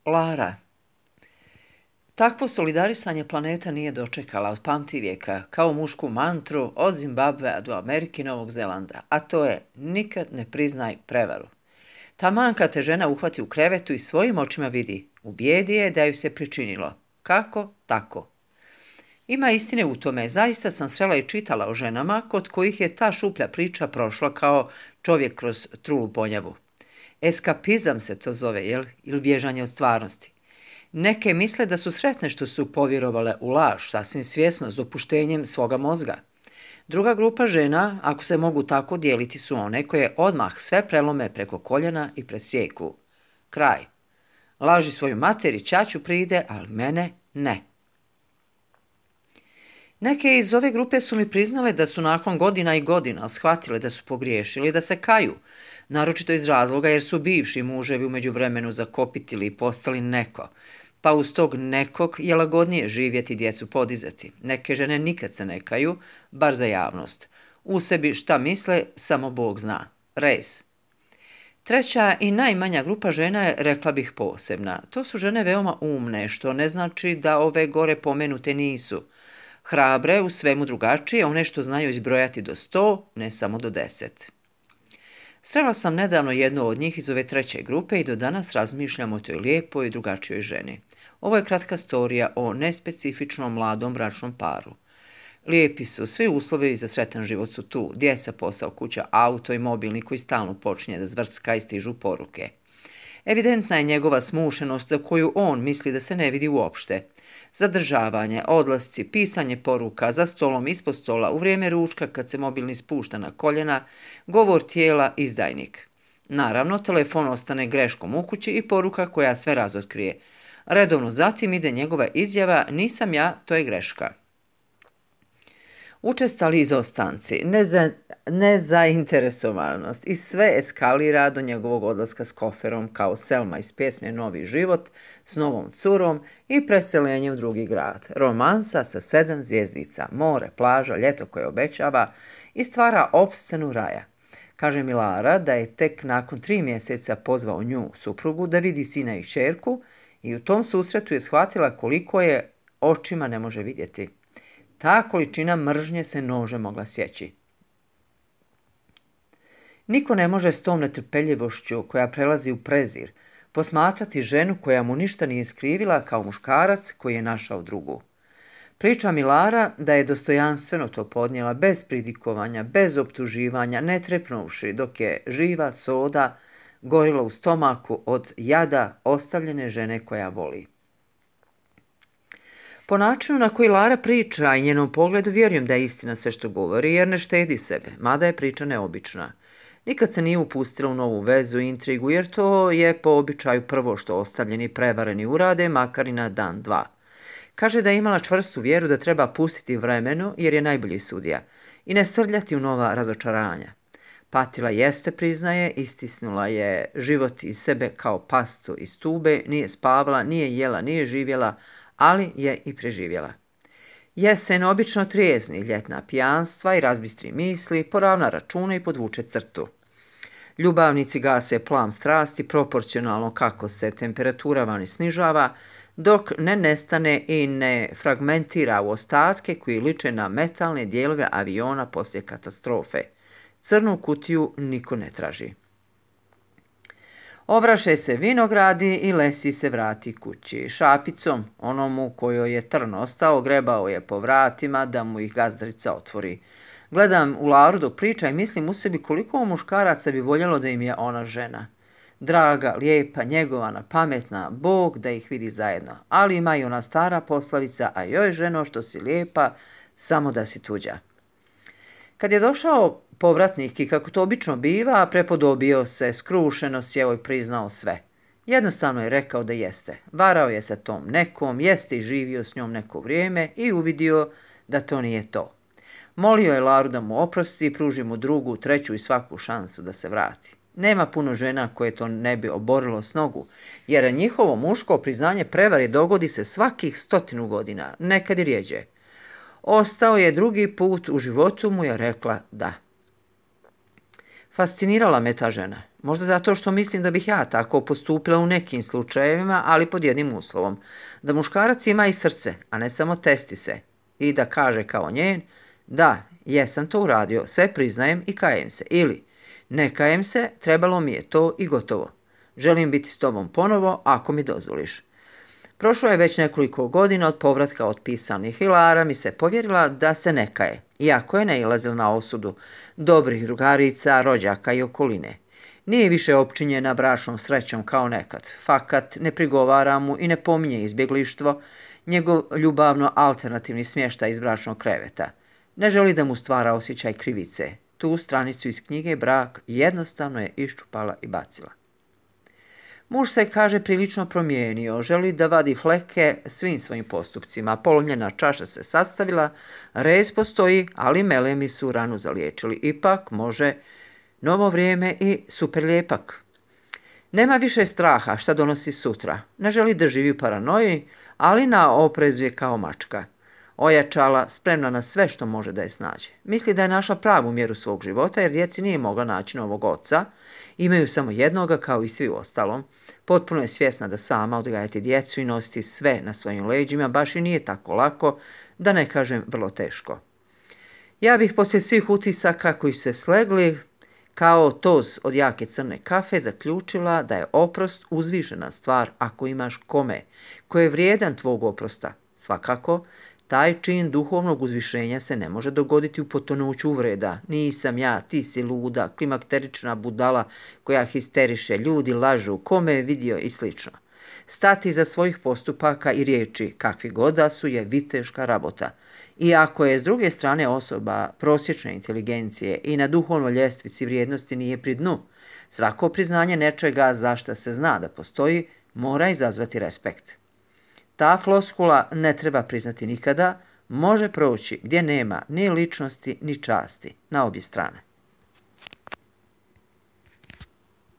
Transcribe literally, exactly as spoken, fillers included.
Lara. Takvo solidarisanje planeta nije dočekala od pamtivijeka, kao mušku mantru od Zimbabvea do Amerike i Novog Zelanda, a to je nikad ne priznaj prevaru. Taman kad te žena uhvati u krevetu i svojim očima vidi, u bijedi je da ju se pričinilo. Kako? Tako. Ima istine u tome, zaista sam srela i čitala o ženama kod kojih je ta šuplja priča prošla kao čovjek kroz trulu ponjavu. Eskapizam se to zove, jel? Ili bježanje od stvarnosti. Neke misle da su sretne što su povjerovale u laž, sasvim svjesno, s dopuštenjem svoga mozga. Druga grupa žena, ako se mogu tako dijeliti, su one koje odmah sve prelome preko koljena i presjeku. Kraj. Laži svoju materi, ćaću pride, ali mene ne. Neke iz ove grupe su mi priznale da su nakon godina i godina shvatile da su pogriješili, da se kaju, naročito iz razloga jer su bivši muževi u međuvremenu zakopitili i postali neko, pa uz tog nekog je lagodnije živjeti, djecu podizati. Neke žene nikad se ne kaju, bar za javnost. U sebi šta misle, samo Bog zna. Rez. Treća i najmanja grupa žena je, rekla bih, posebna. To su žene veoma umne, što ne znači da ove gore pomenute nisu. Hrabre, u svemu drugačije, one što znaju izbrojati do sto, ne samo do deset. Srela sam nedavno jednu od njih iz ove treće grupe i do danas razmišljam o toj lijepoj i drugačijoj ženi. Ovo je kratka storija o nespecifičnom mladom bračnom paru. Lijepi su, svi uslovi za sretan život su tu, djeca, posao, kuća, auto i mobilni koji stalno počinje da zvrcka i stižu poruke. Evidentna je njegova smušenost za koju on misli da se ne vidi uopšte. Zadržavanje, odlasci, pisanje poruka za stolom, ispod stola, u vrijeme ručka kad se mobilni spušta na koljena, govor tijela, izdajnik. Naravno, telefon ostane greškom u kući i poruka koja sve razotkrije. Redovno zatim ide njegova izjava, nisam ja, to je greška. Učestali izostanci, neza, nezainteresovanost i sve eskalira do njegovog odlaska s koferom kao Selma iz pjesme Novi život s novom curom i preselenje u drugi grad. Romansa sa sedam zvjezdica, more, plaža, ljeto koje obećava i stvara opscenu raja. Kaže mi Lara da je tek nakon tri mjeseca pozvao nju, suprugu, da vidi sina i kćerku i u tom susretu je shvatila koliko je očima ne može vidjeti. Ta količina mržnje se nože mogla sjeći. Niko ne može s tom netrpeljivošću koja prelazi u prezir posmatrati ženu koja mu ništa nije skrivila kao muškarac koji je našao drugu. Priča mi Lara da je dostojanstveno to podnijela bez pridikovanja, bez optuživanja, ne trepnuvši dok je živa soda gorila u stomaku od jada ostavljene žene koja voli. Po načinu na koji Lara priča i njenom pogledu vjerujem da je istina sve što govori jer ne štedi sebe, mada je priča neobična. Nikad se nije upustila u novu vezu i intrigu jer to je po običaju prvo što ostavljeni prevareni urade, makar i na dan dva. Kaže da je imala čvrstu vjeru da treba pustiti vremenu jer je najbolji sudija i ne srljati u nova razočaranja. Patila jeste, priznaje, istisnula je život iz sebe kao pastu iz tube, nije spavala, nije jela, nije živjela, ali je i preživjela. Jesen obično trijezni, ljetna pijanstva i razbistri misli, poravna račune i podvuče crtu. Ljubavnici gase plam strasti proporcionalno kako se temperatura vani snižava, dok ne nestane i ne fragmentira u ostatke koji liče na metalne dijelove aviona poslije katastrofe. Crnu kutiju niko ne traži. Obraše se vinogradi i Lesi se vrati kući. Šapicom, onomu kojoj je trn ostao, grebao je po vratima da mu ih gazdarica otvori. Gledam u Laru dok priča i mislim u sebi koliko muškaraca bi voljelo da im je ona žena. Draga, lijepa, njegovana, pametna, Bog da ih vidi zajedno. Ali ima i ona stara poslovica, a joj ženo što si lijepa, samo da si tuđa. Kad je došao povratnik i kako to obično biva, prepodobio se, skrušeno sjeo i priznao sve. Jednostavno je rekao da jeste. Varao je sa tom nekom, jeste i živio s njom neko vrijeme i uvidio da to nije to. Molio je Laru da mu oprosti i pruži mu drugu, treću i svaku šansu da se vrati. Nema puno žena koje to ne bi oborilo s nogu, jer njihovo muško priznanje prevari dogodi se svakih stotinu godina, nekad i rjeđe. Ostao je drugi put u životu mu je rekla da. Fascinirala me ta žena. Možda zato što mislim da bih ja tako postupila u nekim slučajevima, ali pod jednim uslovom. Da muškarac ima i srce, a ne samo testise. I da kaže kao njen, da, jesam to uradio, sve priznajem i kajem se. Ili, ne kajem se, trebalo mi je to i gotovo. Želim biti s tobom ponovo, ako mi dozvoliš. Prošlo je već nekoliko godina od povratka od pisanih i Lara mi se povjerila da se ne kaje, iako je nailazila na osudu dobrih drugarica, rođaka i okoline. Nije više opčinjena bračnom srećom kao nekad. Fakat ne prigovara mu i ne pominje izbjeglištvo, njegov ljubavno alternativni smještaj iz bračnog kreveta. Ne želi da mu stvara osjećaj krivice. Tu stranicu iz knjige Brak jednostavno je iščupala i bacila. Muž se, kaže, prilično promijenio, želi da vadi fleke svim svojim postupcima. Polomljena čaša se sastavila, rez postoji, ali melemi su ranu zaliječili. Ipak može novo vrijeme i super lijepak. Nema više straha šta donosi sutra. Ne želi da živi u paranoji, ali na oprezu je kao mačka. Ojačala, spremna na sve što može da je snađe. Misli da je našla pravu mjeru svog života jer djeci nije mogla naći novog oca. Imaju samo jednoga kao i svi u ostalom. Potpuno je svjesna da sama odgajati djecu i nositi sve na svojim leđima baš i nije tako lako, da ne kažem vrlo teško. Ja bih poslije svih utisaka koji su se slegli, kao toz od jake crne kafe, zaključila da je oprost uzvišena stvar ako imaš kome, ko je vrijedan tvog oprosta. Svakako, taj čin duhovnog uzvišenja se ne može dogoditi u potonuću uvreda. Nisam ja, ti si luda, klimakterična budala koja histeriše, ljudi lažu, kome je vidio i slično. Stati za svojih postupaka i riječi, kakvi god da su, je viteška rabota. I ako je s druge strane osoba prosječne inteligencije i na duhovnoj ljestvici vrijednosti nije pri dnu, svako priznanje nečega za šta se zna da postoji mora izazvati respekt. Ta floskula ne treba priznati nikada, može proći gdje nema ni ličnosti ni časti na obje strane.